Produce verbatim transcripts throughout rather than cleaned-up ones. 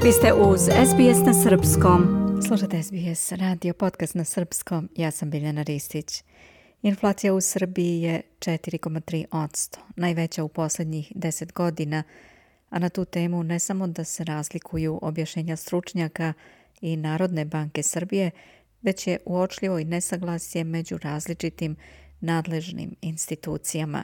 Vi ste uz S B S na srpskom. Slušate S B S radio podcast na srpskom. Ja sam Biljana Ristić. Inflacija u Srbiji je četiri zarez tri posto, najveća u posljednjih deset godina, a na tu temu ne samo da se razlikuju objašnjenja stručnjaka i Narodne banke Srbije, već je uočljivo i nesaglasje među različitim nadležnim institucijama,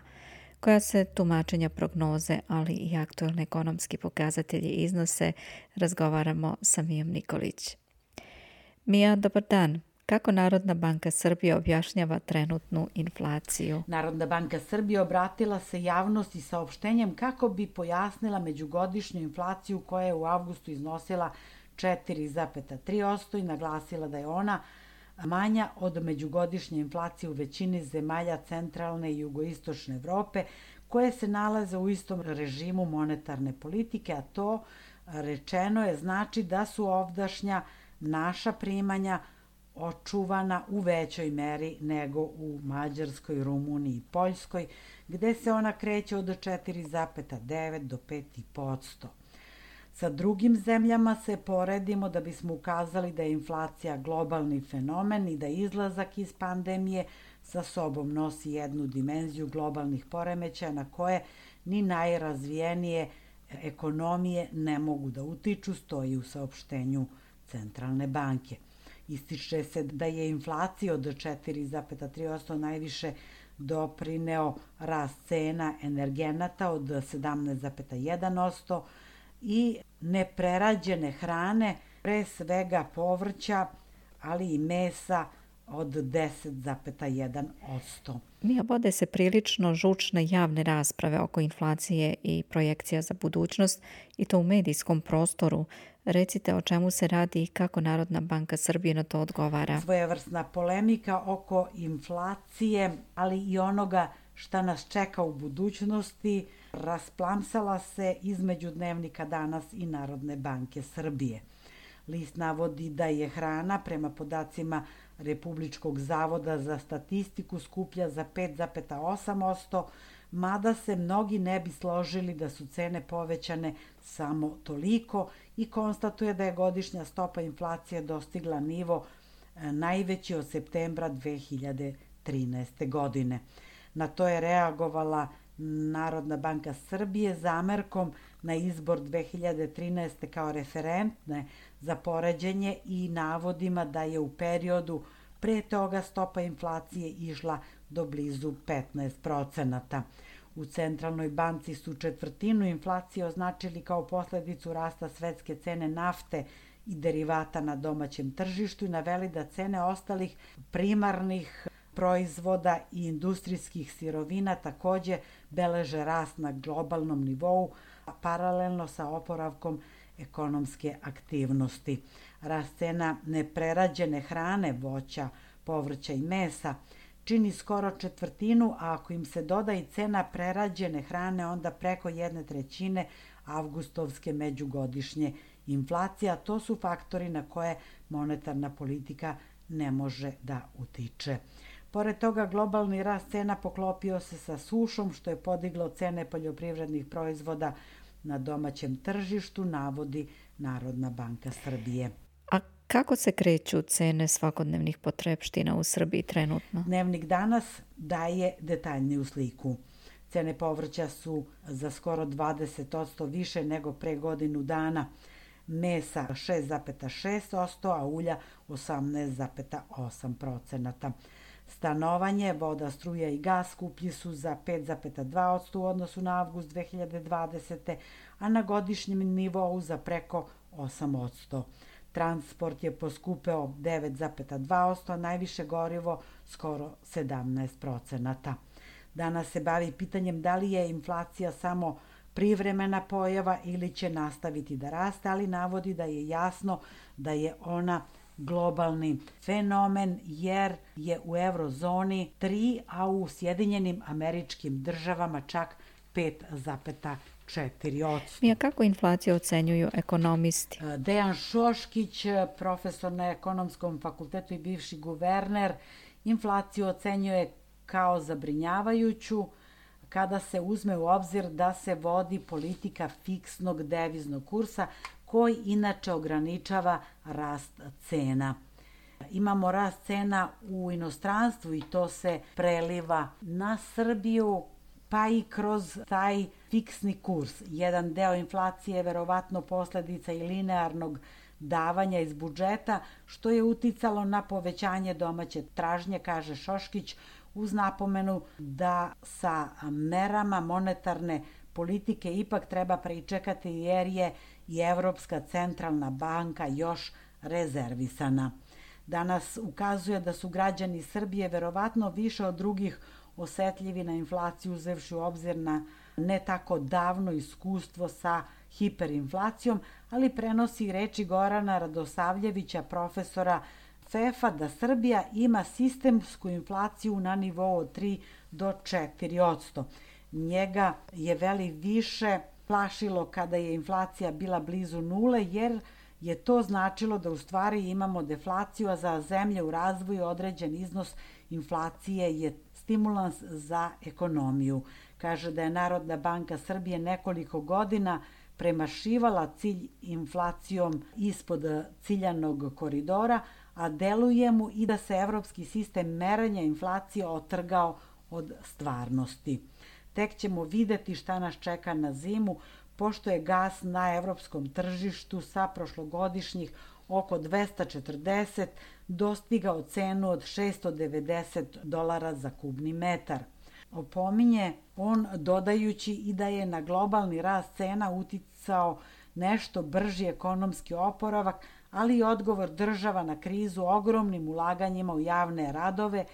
koja se tumačenja prognoze, ali i aktualni ekonomski pokazatelji iznose, razgovaramo sa Mijom Nikolić. Mija, dobar dan. Kako Narodna banka Srbije objašnjava trenutnu inflaciju? Narodna banka Srbije obratila se javnosti saopštenjem kako bi pojasnila međugodišnju inflaciju koja je u avgustu iznosila četiri zarez tri posto i naglasila da je ona manja od međugodišnje inflacije u većini zemalja centralne i jugoistočne Evrope koje se nalaze u istom režimu monetarne politike, a to rečeno je znači da su ovdašnja naša primanja očuvana u većoj meri nego u Mađarskoj, Rumuniji i Poljskoj, gde se ona kreće od četiri zarez devet do pet zarez pet posto. Sa drugim zemljama se poredimo da bismo ukazali da je inflacija globalni fenomen i da izlazak iz pandemije sa sobom nosi jednu dimenziju globalnih poremećaja na koje ni najrazvijenije ekonomije ne mogu da utiču, stoji u saopštenju Centralne banke. Ističe se da je inflacija od četiri zarez tri posto najviše doprineo rast cena energenata od sedamnaest zarez jedan posto i neprerađene hrane, pre svega povrća, ali i mesa od deset zarez jedan posto. Mija, vode se prilično žučne javne rasprave oko inflacije i projekcija za budućnost, i to u medijskom prostoru. Recite o čemu se radi i kako Narodna banka Srbije na to odgovara. Svojevrsna polemika oko inflacije, ali i onoga šta nas čeka u budućnosti, rasplamsala se između dnevnika Danas i Narodne banke Srbije. List navodi da je hrana, prema podacima Republičkog zavoda za statistiku, skuplja za pet zarez osam posto, mada se mnogi ne bi složili da su cene povećane samo toliko, i konstatuje da je godišnja stopa inflacije dostigla nivo najveći od septembra dve hiljade trinaeste. godine. Na to je reagovala Narodna banka Srbije zamerkom na izbor dve hiljade trinaeste. kao referentne za poređenje i navodima da je u periodu pre toga stopa inflacije išla do blizu petnaest procenata. U Centralnoj banci su četvrtinu inflacije označili kao posledicu rasta svetske cene nafte i derivata na domaćem tržištu i naveli da cene ostalih primarnih proizvoda i industrijskih sirovina takođe beleže rast na globalnom nivou, paralelno sa oporavkom ekonomske aktivnosti. Rast cena neprerađene hrane, voća, povrća i mesa čini skoro četvrtinu, a ako im se doda i cena prerađene hrane, onda preko jedne trećine avgustovske međugodišnje inflacije, a to su faktori na koje monetarna politika ne može da utiče. Pored toga, globalni rast cena poklopio se sa sušom, što je podiglo cene poljoprivrednih proizvoda na domaćem tržištu, navodi Narodna banka Srbije. A kako se kreću cene svakodnevnih potrepština u Srbiji trenutno? Dnevnik Danas daje detaljniju sliku. Cene povrća su za skoro dvadeset posto više nego pre godinu dana. Mesa šest zarez šest posto, a ulja osamnaest zarez osam procenata. Stanovanje, voda, struja i gas skuplji su za pet zarez dva posto u odnosu na avgust dve hiljade dvadesete. a na godišnjem nivou za preko osam posto. Transport je poskupeo devet zarez dva posto, a najviše gorivo skoro sedamnaest procenata. Danas se bavi pitanjem da li je inflacija samo privremena pojava ili će nastaviti da raste, ali navodi da je jasno da je ona globalni fenomen, jer je u eurozoni tri, a u Sjedinjenim Američkim Državama čak pet zarez četiri posto. Mija, kako inflaciju ocenjuju ekonomisti? Dejan Šoškić, profesor na Ekonomskom fakultetu i bivši guverner, inflaciju ocenjuje kao zabrinjavajuću kada se uzme u obzir da se vodi politika fiksnog deviznog kursa koji inače ograničava rast cena. Imamo rast cena u inostranstvu i to se preliva na Srbiju, pa i kroz taj fiksni kurs. Jedan deo inflacije je verovatno posledica i linearnog davanja iz budžeta, što je uticalo na povećanje domaće tražnje, kaže Šoškić, uz napomenu da sa merama monetarne politike ipak treba pričekati jer je i Evropska centralna banka još rezervisana. Danas ukazuje da su građani Srbije verovatno više od drugih osetljivi na inflaciju, uzevši u obzir na ne tako davno iskustvo sa hiperinflacijom, ali prenosi reči Gorana Radosavljevića, profesora F E F-a, da Srbija ima sistemsku inflaciju na nivou od tri do četiri posto. Njega je veli više plašilo kada je inflacija bila blizu nule, jer je to značilo da u stvari imamo deflaciju, a za zemlje u razvoju određen iznos inflacije je stimulans za ekonomiju. Kaže da je Narodna banka Srbije nekoliko godina premašivala cilj inflacijom ispod ciljanog koridora, a deluje mu i da se evropski sistem merenja inflacije otrgao od stvarnosti. Tek ćemo videti šta nas čeka na zimu, pošto je gas na evropskom tržištu sa prošlogodišnjih oko dvesta četrdeset dostigao cenu od šessto devedeset dolara za kubni metar. Opominje on dodajući i da je na globalni rast cena uticao nešto brži ekonomski oporavak, ali i odgovor država na krizu ogromnim ulaganjima u javne radove,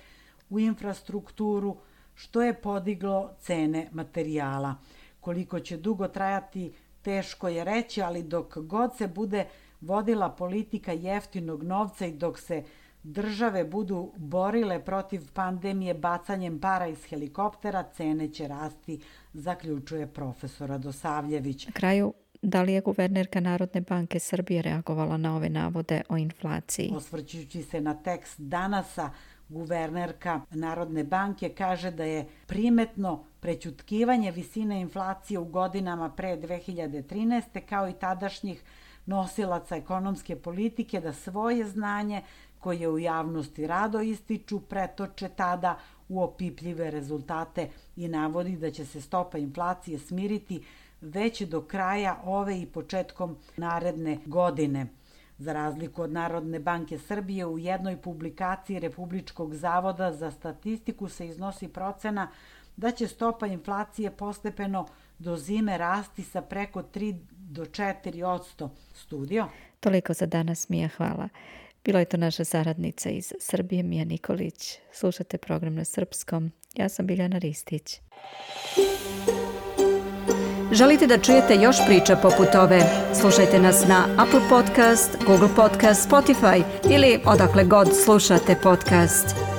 u infrastrukturu, što je podiglo cene materijala. Koliko će dugo trajati, teško je reći, ali dok god se bude vodila politika jeftinog novca i dok se države budu borile protiv pandemije bacanjem para iz helikoptera, cene će rasti, zaključuje profesor Radosavljević. Na kraju, da li je guvernerka Narodne banke Srbije reagovala na ove navode o inflaciji? Osvrćujući se na tekst Danasa, guvernerka Narodne banke kaže da je primetno prećutkivanje visine inflacije u godinama pre dve hiljade trinaeste kao i tadašnjih nosilaca ekonomske politike da svoje znanje koje u javnosti rado ističu pretoče tada u opipljive rezultate i navodi da će se stopa inflacije smiriti već do kraja ove i početkom naredne godine. Za razliku od Narodne banke Srbije, u jednoj publikaciji Republičkog zavoda za statistiku se iznosi procena da će stopa inflacije postepeno do zime rasti sa preko tri do četiri posto. Studio? Toliko za danas, Mija, hvala. Bila je to naša saradnica iz Srbije, Mija Nikolić. Slušate program na srpskom. Ja sam Biljana Ristić. Želite da čujete još priča poput ove? Slušajte nas na Apple Podcast, Google Podcast, Spotify ili odakle god slušate podcast.